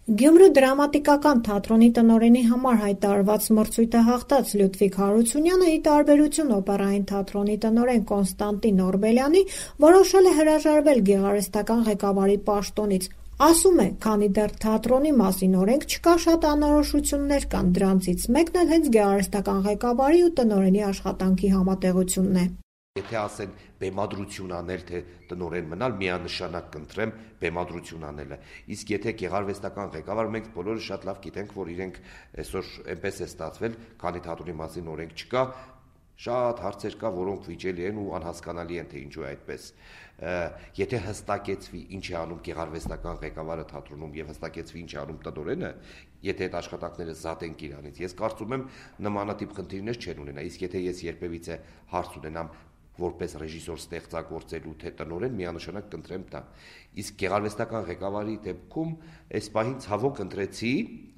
Գյումրու դրամատիկական թատրոնի տնօրենի համար հայտարարված մրցույթը հաղթած Լյուդվիգ Հարությունյանը, ի տարբերություն օպերային թատրոնի տնօրեն Կոնստանտին Օրբելյանի, որոշել է հրաժարվել գեղարվեստական ղեկավարի պաշտոնից։ Ասում է, քանի դեռ թատրոնի մասին օրենք չկա, շատ անորոշություններ կան, դրանցից մեկն էլ հենց գեղարվեստական ղեկավարի ու տնօրենի աշխատանքի համատեղությունն է։ Եթե ասեն բեմադրություն անել, թե տնօրեն մնալ, միանշանակ կընտրեմ բեմադրություն անելը։ Իսկ եթե գեղարվեստական ղեկավար, մենք բոլորը շատ լավ գիտենք, որ իրենք այսօր այնպես է ստացվել, քանի թատրոնի մասին օրենք չկա, շատ հարցեր կա, որոնք վիճելի են ու անհասկանալի են, թե ինչու է այդպես։ Եթե հստակեցվի ինչ է անում գեղարվեստական ղեկավարը թատրոնում եւ հստակեցվի ինչ է անում տնօրենը, եթե այդ աշխատանքները զատենք իրանից, ես կարծում եմ նմանատիպ խնդիրներ չեն ունենա։ Իսկ եթե ես երբևիցե հարց ունենամ որպես ռեժիսոր ստեղծագործելու թե տնօրեն, միանշանակ կընտրեմ դա։ Իսկ գեղարվեստական ղեկավարի դեպքում այս պահին ցավոք ընտրեցի,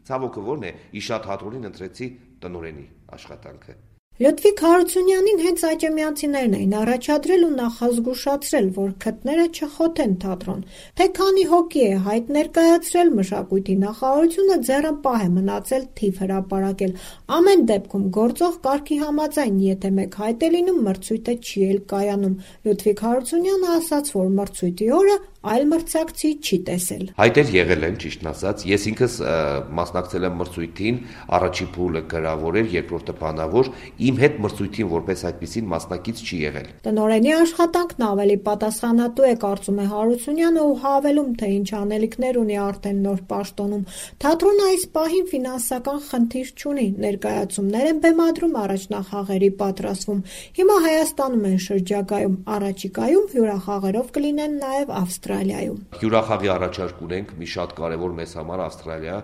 ցավոքը ո՞րն է, իշա թատրոնին ընտրեցի տնօրենի աշխատանքը։ Լյուդվիգ Հարությունյանին հենց աճեմյանցիներն էին առաջադրել ու նախազգուշացրել, որ քթները չխոթեն թատրոն, թե քանի հոգի է հայտ ներկայացրել, մշակույթի նախարարությունը ձեռնպահ է մնացել թիվ հրապարակել։ Ամեն դեպքում գործող կարգի համաձայն, եթե մեկ հայտ է լինում, մրցույթը չի էլ կայանում։ Լյուդվիգ Հարությունյանը ասաց, որ մրցույթի օրը այլ մրցակցի չի տեսել։ Հայտեր եղել են, ճիշտն ասած, ես ինքս մասնակցել եմ մրցույթին, առաջին փուլը գրավոր էր, երկրորդը բանավոր, իմ հետ մրցույթին որպես այդպիսին մասնակից չի եղել։ Տնօրենի աշխատանքն ավելի պատասխանատու է, կարծում է Հարությունյանը ու հավելում, թե ինչ անելիքներ ունի արդեն նոր պաշտոնում։ Թատրոնը այս պահին ֆինանսական խնդիր չունի, ներկայացումներ են բեմադրում, առաջնախաղերի պատրաստվում։ Հիմա Հայաստանում են շրջագայում, առաջիկայում հյուրախաղերով կլինեն նաև Ավստրալիայում։ Հյուրախաղի առաջարկ ունենք, մի շատ կարևոր մեզ համար Ավստրալիա,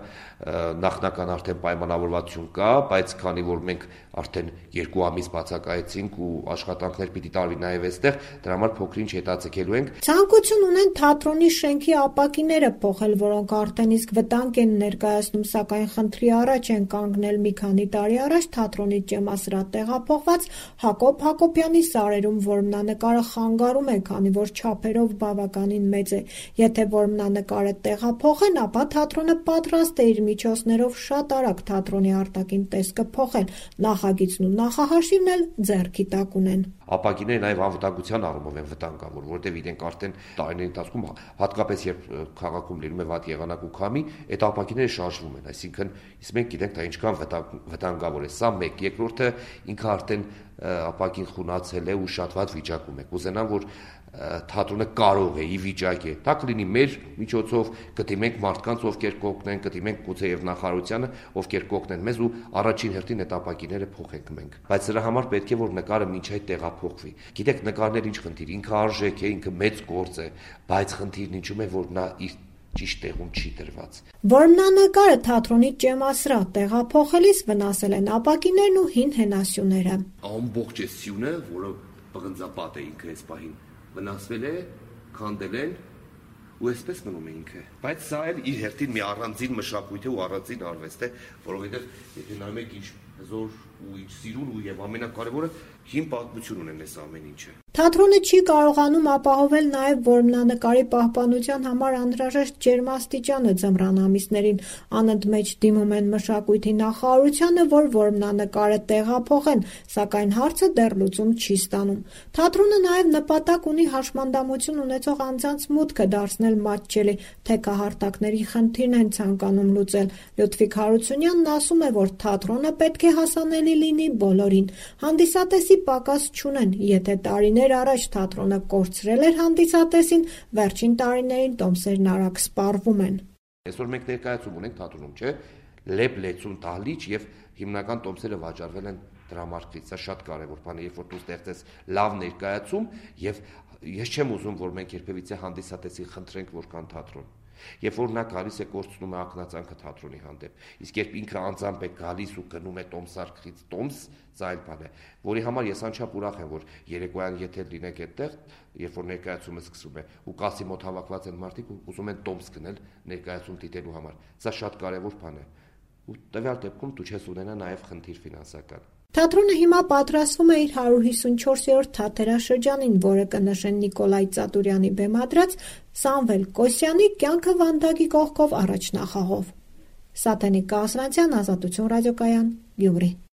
նախնական արդեն պայմանավորվածություն կա, բայց քանի որ մենք արդեն 2 ամիս բացակայեցինք ու աշխատանքներ պիտի տարվի նաև այստեղ, դրա համար փոքրինչ հետաձգելու ենք։ Ցանկություն ունեն թատրոնի շենքի ապակիները փոխել, որոնք արդեն իսկ վտանգ են ներկայացնում, սակայն խնդրի առաջ են կանգնել մի քանի տարի առաջ թատրոնի ճեմասրահ տեղափոխված Հակոբ Հակոբյանի սարերում որմնանկարը խանգարում է, քանի որ չափերով բավականին մեծ է։ Եթե որմնանկարը տեղափոխեն, ապա թատրոնը պատրաստ է իր միջոցներով շատ արագ թատրոնի արտաքին տեսքը փոխել, նախագիծն ու նախահաշիվն էլ ձեռքի տակ ունեն։ Ապակիները նաև անվտանգության առումով են վտանգավոր, որտեղ իրենք արդեն տարիների ընթացքում, հատկապես երբ քաղաքում լինում է վատ եղանակ ու քամի, այդ ապակիները շարժվում են, այսինքն իսկ մենք գիտենք դա ինչքան վտանգավոր է։ Սա մեկ, երկրորդը ինքը արդեն ապակին խունացել է ու շատ վատ վիճակում է։ Կուզենամ, որ թատրոնը կարող է, ի վիճակ է, դա կլինի մեր միջոցով, կդիմենք մարդկանց, ովքեր կօգնեն, կդիմենք գուցե եւ նախարարությանը, ովքեր կօգնեն մեզ ու առաջին հերթին այդ ապակիները փոխենք մենք։ Բայց դրա համար պետք է որ նկարը մինչ այդ տեղափոխվի։ Գիտեք, նկարներ ինչ խնդիր, ինքը արժեք է, ինքը մեծ գործ է, բայց խնդիրն ինչու՞մ է, որ նա իր ճիշտ տեղում չի դրված։ Որմնանկարը թատրոնի ճեմասրահ տեղափոխելիս վնասել են ապակիներն ու հին հենասյուները։ Ամբողջ է սյունը, որը պղնձապատ է ինքը այս պահին վնասվել է, քանդել են ու այսպես մնում է ինքը։ Բայց սա էլ իր հերթին մի առանձին մշակույթ է ու առանձին արվեստ է, որովհետև եթե նայում եք ինչ հզոր ու ինչ սիրուն ու եւ ամենակարևորը հին պատմություն ունեն այս ամեն ինչը։ Թատրոնը չի կարողանում ապահովել նաև որմնանկարի պահպանության համար անհրաժեշտ ջերմաստիճանը ձմռան ամիսներին։ Անընդմեջ դիմում են մշակույթի նախարարությանը, որ որմնանկարը տեղափոխեն, սակայն հարցը դեռ լուծում չի ստանում։ Թատրոնը նաև նպատակ ունի հաշմանդամություն ունեցող անձանց մուտքը դարձնել մատչելի, թեքահարտակների խնդիրն են ցանկանում լուծել։ Լյուդվիգ Հարությունյանն ասում է, որ թատրոնը պետք է հասանելի լինի բոլորին։ Հանդիսատեսի պակաս չունեն, եթե տարիներ առաջ թատրոնը կորցրել էր հանդիսատեսին, վերջին տարիներին տոմսերն արագ սպառվում են։ Այսօր մենք ներկայացում ունենք թատրոնում, չէ՞, լեփ լեցուն դահլիճ եւ հիմնական տոմսերը վաճառվել են դրամարկղից։ Սա շատ կարեւոր բան է, երբ որ դու ստեղծես լավ ներկայացում եւ ես չեմ ուզում, որ մենք երբևիցե հանդիսատեսին խնդրենք, որ կան թատրոն։ Երբ որ նա գալիս է կորցնում է ակնածանքը թատրոնի հանդեպ, իսկ երբ ինքը անձամբ է գալիս ու գնում է տոմսարկղից տոմս, սա այլ բան է, որի համար ես անչափ ուրախ եմ, որ երեկոյան եթե լինեք այդտեղ, երբ որ ներկայացումը սկսվում է ու կասի մոտ հավաքված են մարդիկ ու ուզում են տոմս գնել ներկայացում դիտելու համար, սա շատ կարևոր բան է։ Ու տվյալ դեպքում դու չես ունենա նաև խնդիր ֆինանսական։ Թատրոնը հիմա պատրաստվում է իր 154-րդ թատերաշրջանին, որը կնշեն Նիկոլայ Ծատուրյանի բեմադրած Սամվել Կոսյանի «Կյանքը Վանդակի կողքով» առաջնախաղով։ Սաթենիկ Կասրանցյան, Ազատություն ռադիոկայան, Գյումրի։